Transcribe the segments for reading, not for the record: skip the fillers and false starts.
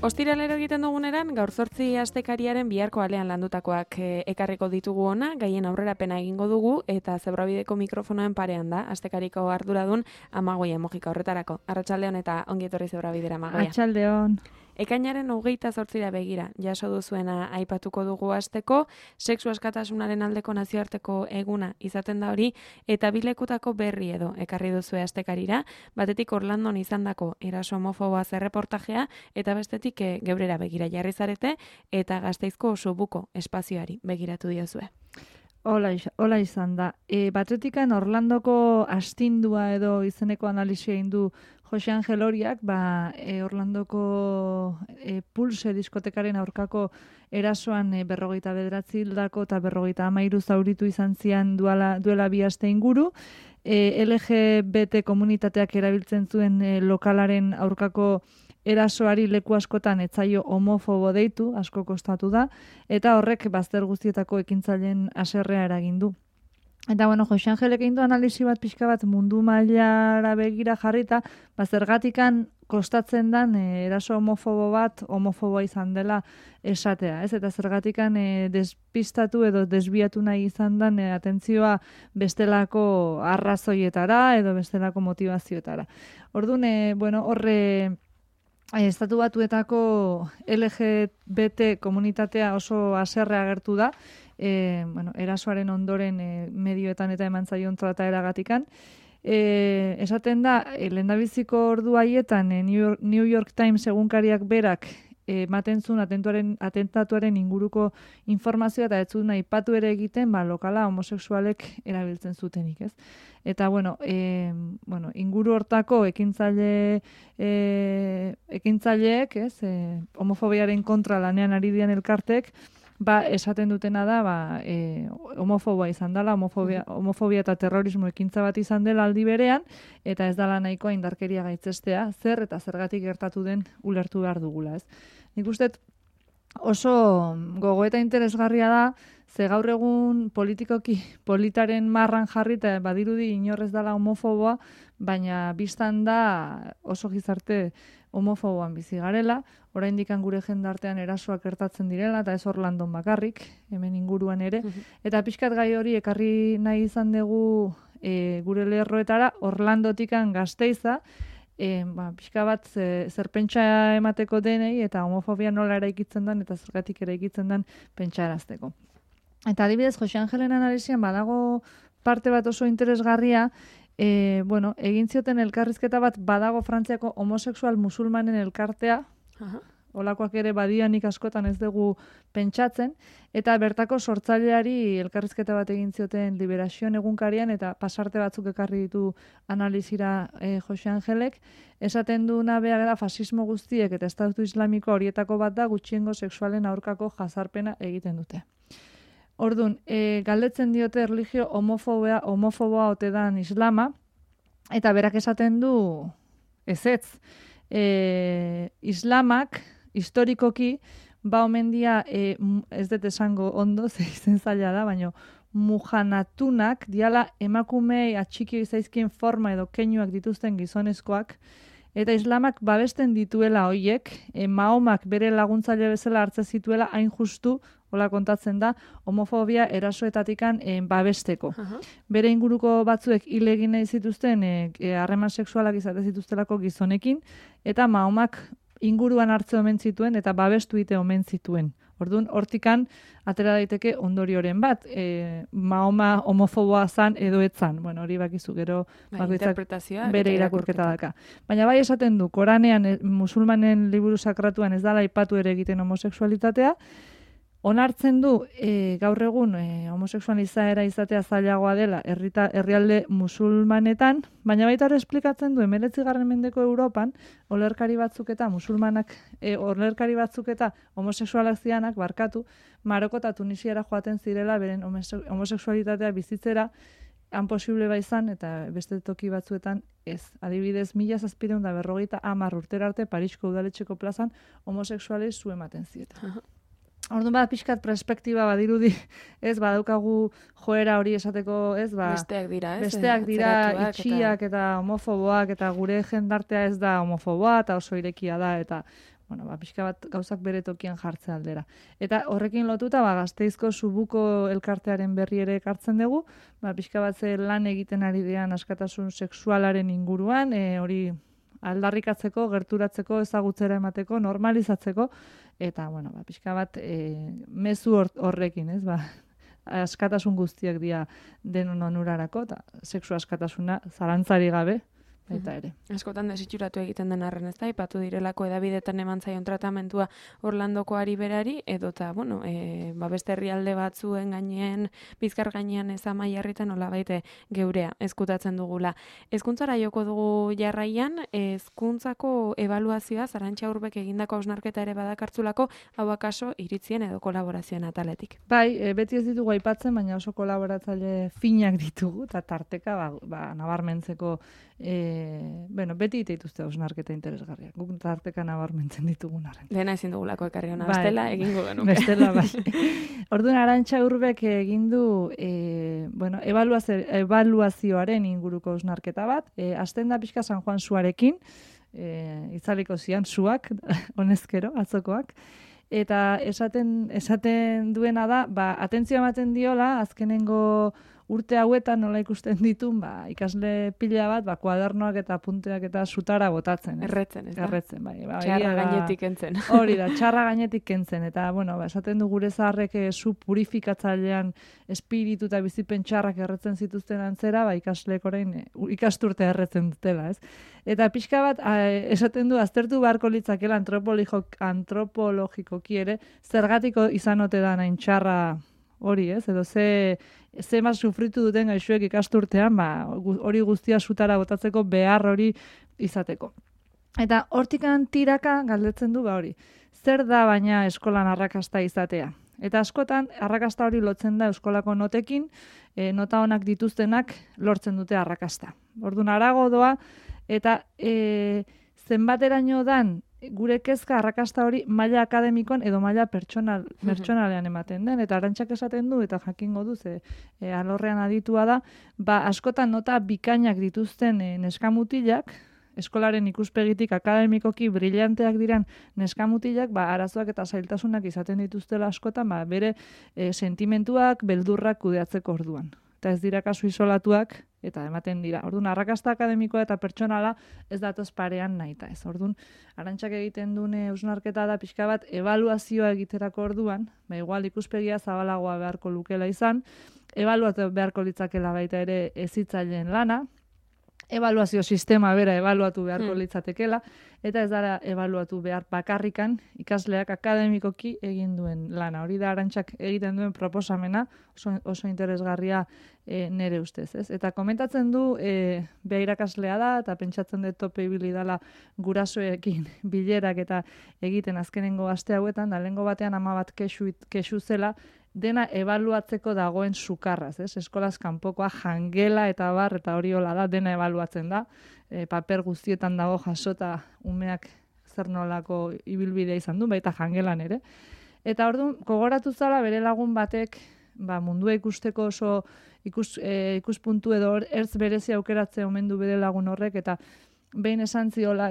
Ostiralero egiten duguneran, gaur 8 astekariaren biharko alean landutakoak ekarriko ditugu ona, gaien aurrerapena egingo dugu, eta Zebrabideko mikrofonoen parean da, astekariko arduradun Amagoia Mojika horretarako. Arratsaldeon eta ongi etorri Zebrabidera, Amagoia. Arratsaldeon. Ekainaren 28 begira, jaso duzuena aipatuko dugu asteko, sexu askatasunaren aldeko nazioarteko eguna izaten da hori, eta bilekutako berri edo ekarri duzue astekarira, batetik Orlandon izandako eraso homofoboa zerreportajea, eta bestetik geurera begira jarri zarete, eta Gasteizko Sobuko espazioari begiratu diozue. Hola izan da. Batetikan Orlandoko astindua edo izeneko analisia egin du Jose Angel Oriak, Orlandoko Pulse diskotekaren aurkako erasoan 49 hildako eta 53 zauritu izan zian duela 2 aste inguru. LGBT komunitateak erabiltzen zuen lokalaren aurkako erasoari leku askotan etzaio homofobo deitu, asko kostatu da, eta horrek bazter guztietako ekintzaileen haserrea eragin du. Eta Jose Angelek egin du analisi bat pixka bat mundu mailara begira jarrita, zergatikan kostatzen dan eraso homofobo bat homofoboa izan dela esatea, ez? Eta zergatikan despistatu edo desbiatu nahi izan dan atentzioa bestelako arrazoietara edo bestelako motivazioetara. Orduan, horre Estatu Batuetako LGBT komunitatea oso haserre agertu da, erasoaren ondoren medioetan eta eman zaion trataeragatikan. Esaten da, lehendabiziko ordu haietan New York Times egunkariak berak ematen zuen atentatuaren inguruko informazioa eta ez zuen aipatu ere egiten lokala homosexualek erabiltzen zutenik, ez? Eta inguru hortako ekintzaileek, ez, homofobiaren kontra lanean ari dian elkartek, esaten dutena da, homofoboa izan dela, homofobia eta terrorismo ekintza bat izan dela aldi berean, eta ez dela nahikoa indarkeria gaitzestea, zer eta zergatik gertatu den ulertu behar dugula, ez? Nik uste oso gogoeta interesgarria da, ze gaur egun politikoki politaren marran jarri eta badirudi inorrez dela homofoboa, baina biztan da oso gizarte homofoboan bizi garela, oraindik gure jendartean erasoak gertatzen direla, eta ez Orlandon bakarrik, hemen inguruan ere, eta pixkat gai hori ekarri nahi izan dugu gure lerroetara, Orlandotikan Gasteiza, pixka bat zerpentsa emateko denei, eta homofobia nola eraikitzen den, eta zergatik eraikitzen den pentsarazteko. Eta adibidez, Jose Angelen analisian badago parte bat oso interesgarria, egin zioten elkarrizketa bat badago Frantziako homosexual musulmanen elkartea, olakoak ere badianik askotan ez dugu pentsatzen, eta bertako sortzaileari elkarrizketa bat egin zioten Liberazioen egunkarian, eta pasarte batzuk ekarri ditu analizira Jose Angelek, esaten duena behar da fasismo guztiek eta Estatu Islamiko horietako bat da gutxiengo sexualen aurkako jazarpena egiten dute. Orduan, galdetzen diote erlijio homofoboa ote dan islama, eta berak esaten du ezetz. Islamak, historikoki, omen dia, ez dut esango ondo, ze izen zaila da, baina mujanatunak, diala emakumei atxikio izaizkien forma edo keinuak dituzten gizonezkoak, eta islamak babesten dituela hoiek, Mahomak bere laguntzaile bezala hartze zituela hain justu, hola kontatzen da, homofobia erasoetatikan babesteko. Bere inguruko batzuek hil egin nahi zituzten harreman sexualak izate zituztelako gizonekin, eta Mahomak inguruan hartze omen zituen eta babestu ite omen zituen. Orduan, hortikan atera daiteke ondorioren bat, Mahoma homofoboa zan edo etzan. Hori bakizu, gero bere irakurketa daka. Baina bai esaten du, Koranean musulmanen liburu sakratuan ez dala aipatu ere egiten homosexualitatea, onartzen du gaur egun homosexualizaera izatea zailagoa dela herrialde musulmanetan, baina baita ere esplikatzen du 19. mendeko Europan olerkari batzuk eta homosexualak zianak Maroko eta Tunisiara joaten zirela beren homosexualitatea bizitzera han posible izan eta beste toki batzuetan ez. Adibidez, 1750 urtera arte Parisko udaletxeko plazan homosexualei zu ematen zieten. Orduan pixkat perspektiba badirudi, ez, badaukagu joera hori esateko, ez, besteak dira, ez? Besteak dira itxiak eta homofoboak, eta gure jendartea ez da homofoboa, eta oso irekia da, eta, bueno, pixka bat gauzak bere tokian jartze aldera. Eta horrekin lotuta, Gasteizko Subuko elkartearen berri ere ekartzen dugu, pixka bat ze lan egiten ari dian askatasun sexualaren inguruan, hori aldarrikatzeko, gerturatzeko, ezagutzera emateko, normalizatzeko, eta, bueno, pixka bat mezu horrekin, ez, askatasun guztiak dira denon onurarako, eta sexu askatasuna zalantzari gabe, eta ere. Askotan desitxuratu egiten den arren, ez da, ipatu direlako edabidetan eman zaion tratamentua Orlandokoari berari, edota, bueno, beste herrialde batzuen gainean, Bizkar gainean ez Amaiarritan nolabait geurea ezkutatzen dugula. Hezkuntzara joko dugu jarraian, hezkuntzako ebaluazioa Arantxa Urbek egindako hausnarketa ere badakartzulako, hau akaso iritzien edo kolaborazioen ataletik. Bai, beti ez ditugu aipatzen, baina oso kolaboratzaile finak ditugu, eta tarteka nabarmentzeko beti dituzte hausnarketa interesgarriak. Guk tarteka nabarmentzen ditugun arren. Dena ezin dugulako ekarri hona, bestela egingo genuke. Bestela, bai. Orduan, Arantxa Urbek egin du ebaluazioaren inguruko hausnarketa bat. Hasten da pixka San Juan suarekin, itzaliko zian suak, honezkero, atzokoak. Eta esaten duena da, atentzioa ematen diola, azkenengo urte hauetan nola ikusten ditun, ikasle pila bat, kuadernoak eta punteak eta sutara botatzen. Erretzen, ez da? Erretzen, bai. Txarra gainetik kentzen. Hori da, txarra gainetik kentzen. Eta, esaten du gure zaharrek zu purifikatzailean espiritu eta bizipen txarrak erretzen zituzten antzera, ikasleek orain ikasturte erretzen dutela, ez? Eta pixka bat, esaten du, aztertu beharko litzakela antropologikoki ere, zergatiko izan ote da nahin txarra hori, ez? Edo ze mas sufritu duten gaixoek ikasturtean, hori guztia sutara botatzeko behar hori izateko. Eta hortikan tiraka galdetzen du hori. Zer da baina eskolan arrakasta izatea? Eta askotan, arrakasta hori lotzen da eskolako notekin, nota onak dituztenak lortzen dute arrakasta. Orduan harago doa, eta zenbateraino dan gure kezka arrakasta hori maila akademikoan edo maila pertsonalean ematen den, eta Arantxak esaten du, eta jakingo du, alorrean aditua da, askotan nota bikainak dituzten neskamutilak, eskolaren ikuspegitik akademikoki brillanteak diren neskamutilak, arazoak eta zailtasunak izaten dituztela askotan, bere sentimentuak, beldurrak kudeatzeko orduan. Eta ez dira kasu isolatuak, eta ematen dira. Orduan, arrakasta akademikoa eta pertsonala ez datoz parean nahita ez. Orduan, Arantxak egiten dune hausnarketa da pixka bat ebaluazioa egiterako orduan, igual ikuspegia zabalagoa beharko lukela izan, ebaluatu beharko litzakela baita ere hezitzaileen lana, ebaluazio sistema bera ebaluatu beharko litzatekela, eta ez dara ebaluatu behar bakarrikan ikasleak akademikoki egin duen lana. Hori da Arantxak egiten duen proposamena, oso interesgarria nere ustez. Ez? Eta komentatzen du, beha irakaslea da, eta pentsatzen dut tope ibili dala gurasoekin bilerak eta egiten azkenengo aste hauetan, da lehengo batean 10 bat kexu zela, dena ebaluatzeko dagoen sukarraz, ez? Eskolaz kanpokoa jangela eta bar, eta hori hola da, dena ebaluatzen da. Paper guztietan dago jasota umeak zer nolako ibilbidea izan du, baita jangelan ere. Eta orduan, gogoratu zala bere lagun batek, mundua ikusteko oso ikuspuntu edo ertz berezi aukeratzea omen du bere lagun horrek, eta behin esan ziola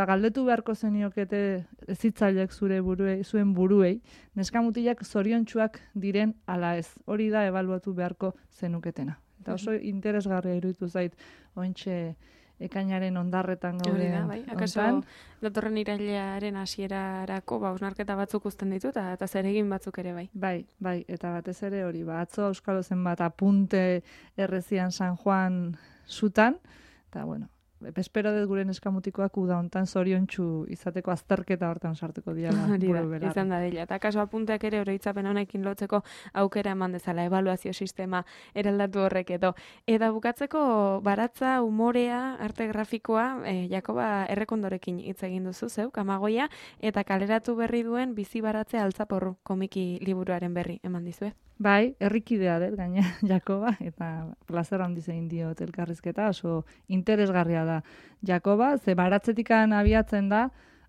galdetu beharko zeniokete hezitzaileek zuen buruei, neskamutilak zoriontsuak diren ala ez. Hori da ebaluatu beharko zenuketena. Eta oso interesgarria iruditu zait ointxe ekainaren ondarretan gauden. Bai, akaso datorren irailearen hasierarako hausnarketa batzuk uzten ditu eta zeregin batzuk ere bai. Bai, eta batez ere hori, atzo Euskalo zenbat apunte errezian San Juan zutan, eta bueno, espero dut gure neskamutikoak uda hontan zoriontsu izateko azterketa hortan sartuko diala. Izan da dela. Eta kaso apunteak ere oroitzapen honekin lotzeko aukera eman dezala, ebaluazio sistema eraldatu horrek edo. Eta bukatzeko baratza, umorea, arte grafikoa, Jakoba Errekondorekin hitz egin duzu zeuk, Amagoia, eta kaleratu berri duen bizi baratzea altzaporru komiki liburuaren berri eman dizue. Bai, herrikidea dut, gaina, Jakoba, eta plazer handiz egin diot elkarrizketa, oso interesgarria da Jakoba, ze baratzetikan abiatzen da,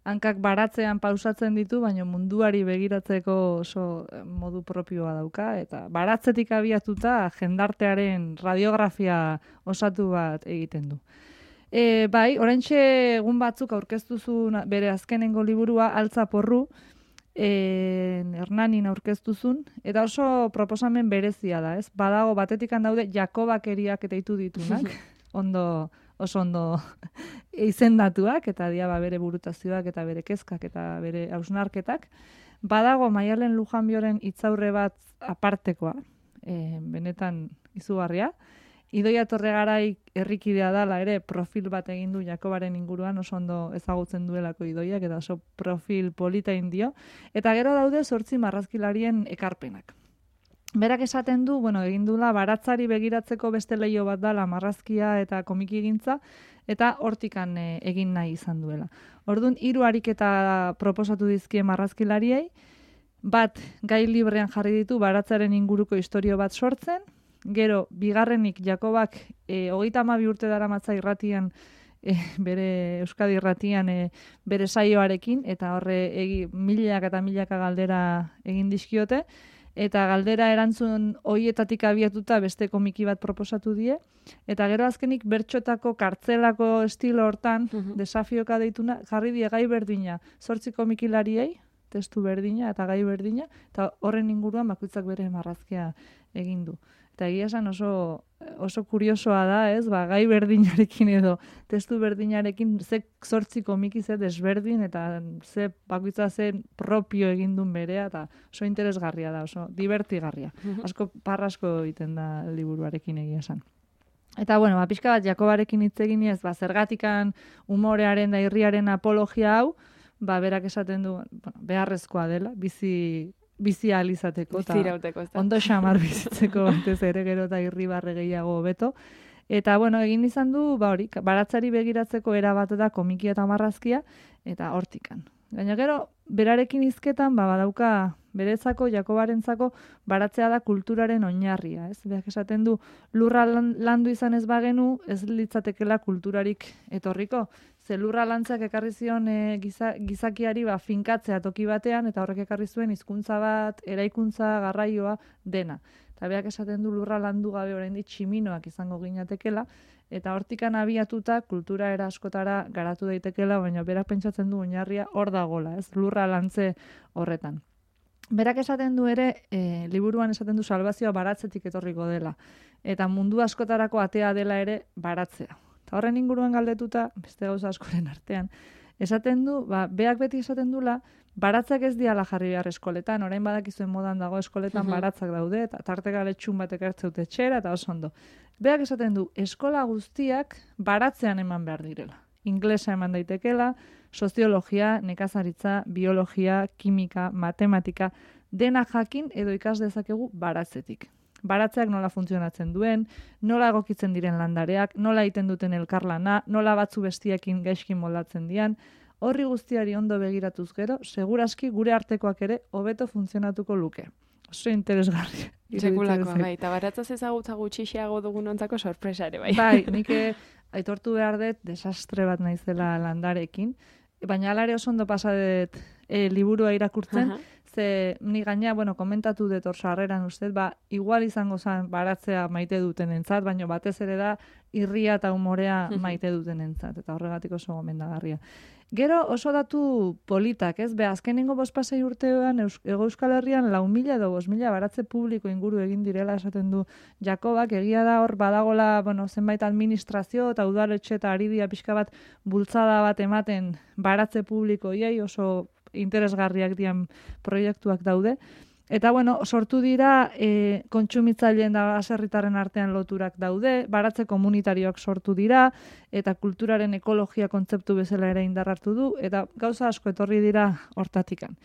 hankak baratzean pausatzen ditu, baina munduari begiratzeko oso modu propioa dauka, eta baratzetik abiatuta jendartearen radiografia osatu bat egiten du. Bai, oraintxe egun batzuk aurkeztuzun bere azkenengo liburua, Altza porru, Hernanin aurkeztuzun, eta oso proposamen berezia da, ez? Badago, batetikan daude Jakobakeriak eta ditu ditunak, oso ondo izendatuak, eta dia bere burutazioak, eta bere kezkak, eta bere hausnarketak. Badago Maialen Lujanbioren hitzaurre bat apartekoa, benetan izugarria. Idoia Torregarai herrikidea dala ere profil bat egin du Jakobaren inguruan, oso ondo ezagutzen duelako Idoiak, eta oso profil polita indio. Eta gero daude 8 marrazkilarien ekarpenak. Berak esaten du, egin dula baratzari begiratzeko beste leio bat dala marrazkia eta komikigintza, eta hortikan egin nahi izan duela. Orduan, 3 ariketa proposatu dizkie marrazkilariei, bat gai librean jarri ditu baratzaren inguruko istorio bat sortzen, gero, bigarrenik Jakobak 32 urte daramatza irratian, bere Euskadi irratian bere saioarekin, eta horre milaka eta milaka galdera egin dizkiote, eta galdera erantzun hoietatik abiatuta beste komiki bat proposatu die, eta gero azkenik bertxotako kartzelako estilo hortan, desafioka deituna, jarri die gai berdina, 8 komikilariei, testu berdina eta gai berdina, eta horren inguruan bakoitzak bere marrazkia egin du. Eta egia esan oso kuriosoa da, ez? Gai berdinarekin edo testu berdinarekin ze 8 komiki ze desberdin eta ze bakoitza zen propio egin duen berea, eta oso interesgarria da, oso divertigarria. Asko parrasko egiten da liburuarekin egia esan. Eta, pixka bat Jakobarekin hitz egin ez, zergatikan umorearen da irriaren apologia hau, berak esaten du, beharrezkoa dela, bizi ahal izateko, ondo xamar bizitzeko batez ere gero eta irribarre gehiago beto. Eta, egin izan du, baratzari begiratzeko erabat da komikia eta marrazkia, eta hortikan. Gaina gero, berarekin hizketan, badauka berezako, Jakobarentzako, baratzea da kulturaren oinarria, ez? Berak esaten du, lurra landu izan ez bagenu, ez litzatekela kulturarik etorriko. Ze lurra lantzak ekarri zion gizakiari finkatzea toki batean, eta horrek ekarri zuen hizkuntza bat, eraikuntza, garraioa, dena. Eta berak esaten du lurra landu gabe oraindik tximinoak izango ginatekela, eta hortikan abiatuta kultura era askotara garatu daitekela, baina berak pentsatzen du oinarria hor dagola, ez? Lurra lantze horretan. Berak esaten du ere, liburuan esaten du salbazioa baratzetik etorriko dela, eta mundu askotarako atea dela ere baratzea. Eta horren inguruan galdetuta, beste gauza askoren artean, esaten du, beak beti esaten dula, baratzak ez diala jarri behar eskoletan, orain badakizuen modan dago eskoletan baratzak daude, eta tartekaletxun batek hartzeute txera, eta oso ondo. Beak esaten du, eskola guztiak baratzean eman behar direla. Inglesa eman daitekela, soziologia, nekazaritza, biologia, kimika, matematika, dena jakin edo ikas dezakegu baratzetik. Baratzeak nola funtzionatzen duen, nola egokitzen diren landareak, nola egiten duten elkarlana, nola batzu bestiekin gaizki moldatzen dian, horri guztiari ondo begiratuz gero, seguraski gure artekoak ere hobeto funtzionatuko luke. Oso interesgarria. Sekulakoa, eta baratzaz ezagutza gutxixiago dugun ontzako sorpresa ere, bai. Bai, nik aitortu behar dut desastre bat naizela landarekin, baina alare oso ondo pasadet liburua irakurtzen, ze ni gaina, komentatu dut hor sarreran ustez, igual izango zen baratzea maite duten entzat, baina batez ere da irria eta humorea maite duten entzat, eta horregatik oso gomendagarria. Gero oso datu politak, ez? Azkenengo 5-6 urtean Hego Euskal Herrian 4.000 edo 5.000 baratze publiko inguru egin direla esaten du Jakobak, egia da hor badagola, zenbait administrazio eta udaletxe eta aridia pixka bat bultzada bat ematen baratze publikoiei, oso interesgarriak dian proiektuak daude. Eta, sortu dira kontsumitzaileen da baserritarren artean loturak daude, baratze komunitarioak sortu dira, eta kulturaren ekologia kontzeptu bezala ere indarrartu du, eta gauza asko etorri dira hortatikan.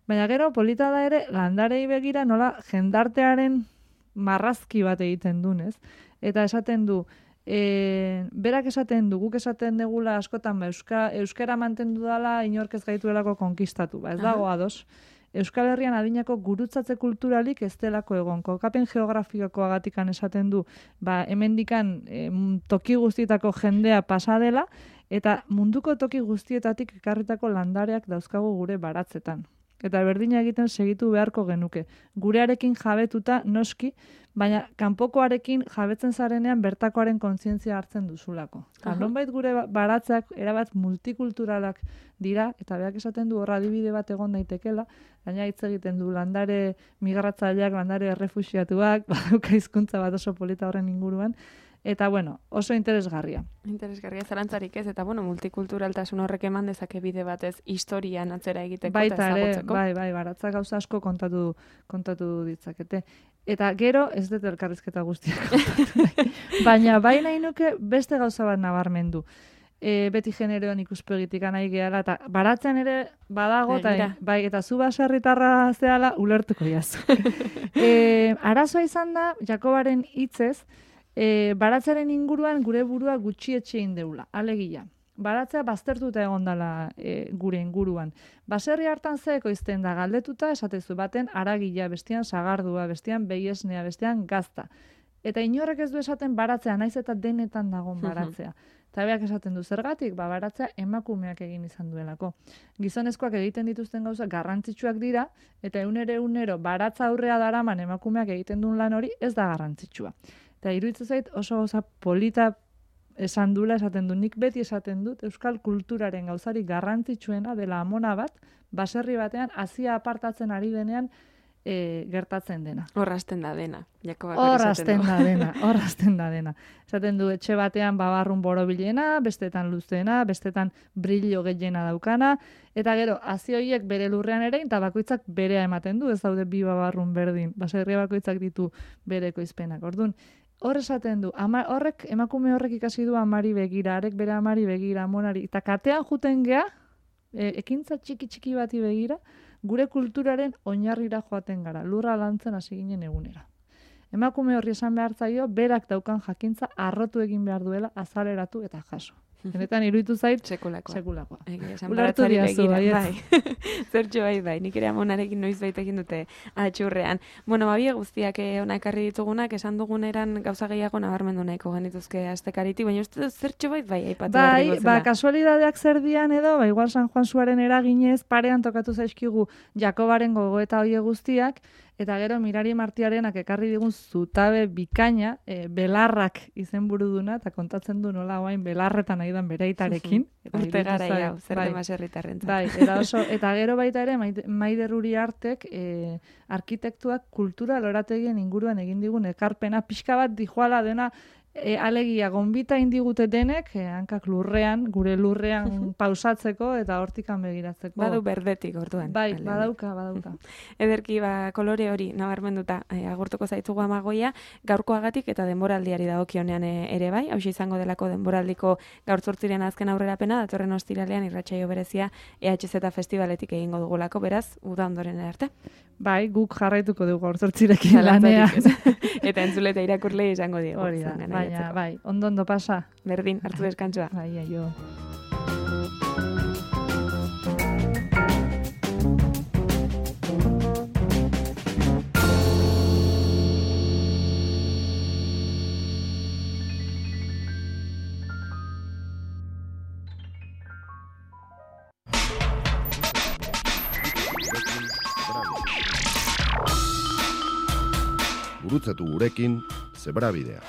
Baina gero, polita da ere, landarei begira nola jendartearen marrazki bat egiten dunez. Eta esaten du, berak esaten du, guk esaten degula askotan, euskara mantendu dala inork ez gaituelako konkistatu, ez dago ados. Euskal Herrian adinako gurutzatze kulturalik ez delako egon. Kokapen geografikoagatikan esaten du, hemendikan toki guztietako jendea pasa dela, eta munduko toki guztietatik ekarritako landareak dauzkagu gure baratzetan. eta berdina egiten segitu beharko genuke. Gurearekin jabetuta noski, baina kanpokoarekin jabetzen zarenean bertakoaren kontzientzia hartzen duzulako. Nonbait gure baratzeak erabat multikulturalak dira, eta berak esaten du horra adibide bat egon daitekela, baina hitz egiten du landare migratzaileak, landare errefuxiatuak, badauka hizkuntza bat oso polita horren inguruan, eta bueno, oso interesgarria. Interesgarria zarantzarik ez, eta bueno, multikulturaltasun horrek eman dezake bide batez historian atzera egiteko baita eta ezagutzeko. Bai, baratzak gauza asko kontatu ditzakete. Eta gero, ez dut elkarrizketa guztiak. Baina bai nahi nuke beste gauza bat nabarmendu. Beti generoan ikuspegitik nahi gehala, eta baratzean ere badago, eta zu baserritarra zehala ulertuko jazu. Arazoa izan da, Jakobaren hitzez, baratzaren inguruan gure burua gutxietxe indeula, alegia. Baratzea baztertuta egon dela gure inguruan. Baserri hartan zeeko izten da galdetuta, esatezu baten aragila, bestean sagardua, bestean behiesnea, bestean gazta. Eta inorrek ez du esaten baratzea, naiz eta denetan dagon baratzea. Eta beak esaten du zergatik, baratzea emakumeak egin izan duelako. Gizonezkoak egiten dituzten gauza garrantzitsuak dira, eta egunero baratza aurrea daraman emakumeak egiten duen lan hori ez da garrantzitsua. Eta iruditzen zait oso gauza polita esan dula, esaten du, nik beti esaten dut, euskal kulturaren gauzarik garrantzitsuena dela amona bat, baserri batean, hazia apartatzen ari denean gertatzen dena. Horrazten da dena. Horrazten da dena. Esaten du, etxe batean babarrun borobilena, bestetan luzena, bestetan brillo gehiena daukana, eta gero, hazi horiek bere lurrean ere, eta bakoitzak berea ematen du, ez daude bi babarrun berdin, baserria bakoitzak ditu bereko izpenak. Orduan, hor esaten du, emakume horrek ikasi du amari begira, arek bere amari begira, amonari, eta katean juten gea, ekintza txiki bati begira, gure kulturaren oinarrira joaten gara, lurra lantzen hasi ginen egunera. Emakume horri esan behar zaio, berak daukan jakintza arrotu egin behar duela, azaleratu eta jaso. Benetan iruditu zait, sekulakoa. Ulertu diazu, bai. Zertxo bai, nik ere amonarekin noiz baitekin dute atxurrean. Bueno, babie guztiak ona ekarri ditugunak, esan duguneran gauza gehiago nabarmendu nahiko genituzke astekariti, baina uste zertxo bai, aipatu behar digozela. Bai, kasualidadeak zer dian edo, igual San Juan Suaren eraginez, parean tokatu zaizkigu Jakobaren gogoeta hoie guztiak, eta gero Mirari Martiarenak ekarri digun zutabe bikaina, belarrak izenburu duna, eta kontatzen du nola oain belarretan aidan bere aitarekin. Urte gara hau, zer demaserritarrentzat. Bai, eta gero baita ere, Maider Uriartek arkitektuak kultura lorategien inguruan egin digun ekarpena, pixka bat dijoala dena, alegia, gonbita indigute denek, hankak lurrean, gure lurrean pausatzeko eta hortikan begiratzeko. Badu berdetik, orduan. Bai, badauka. Ederki, kolore hori nabarmenduta agurtuko zaitugu Amagoia, gaurkoagatik eta denboraldiari dagokionean ere bai, hauxe izango delako denboraldiko gaur 8 azken aurrerapena, datorren ostiralean irratsaio berezia EHZ Festivaletik egingo dugulako, beraz, uda ondoren arte. Bai, guk jarraituko dugu gaur 8 lanean. Eta entzule eta irakurle izango diegu. Hori da, baina, bai, ondo pasa. Berdin, hartu deskantzua. Bai, jo. Gurutzatu gurekin, Zebrabidea.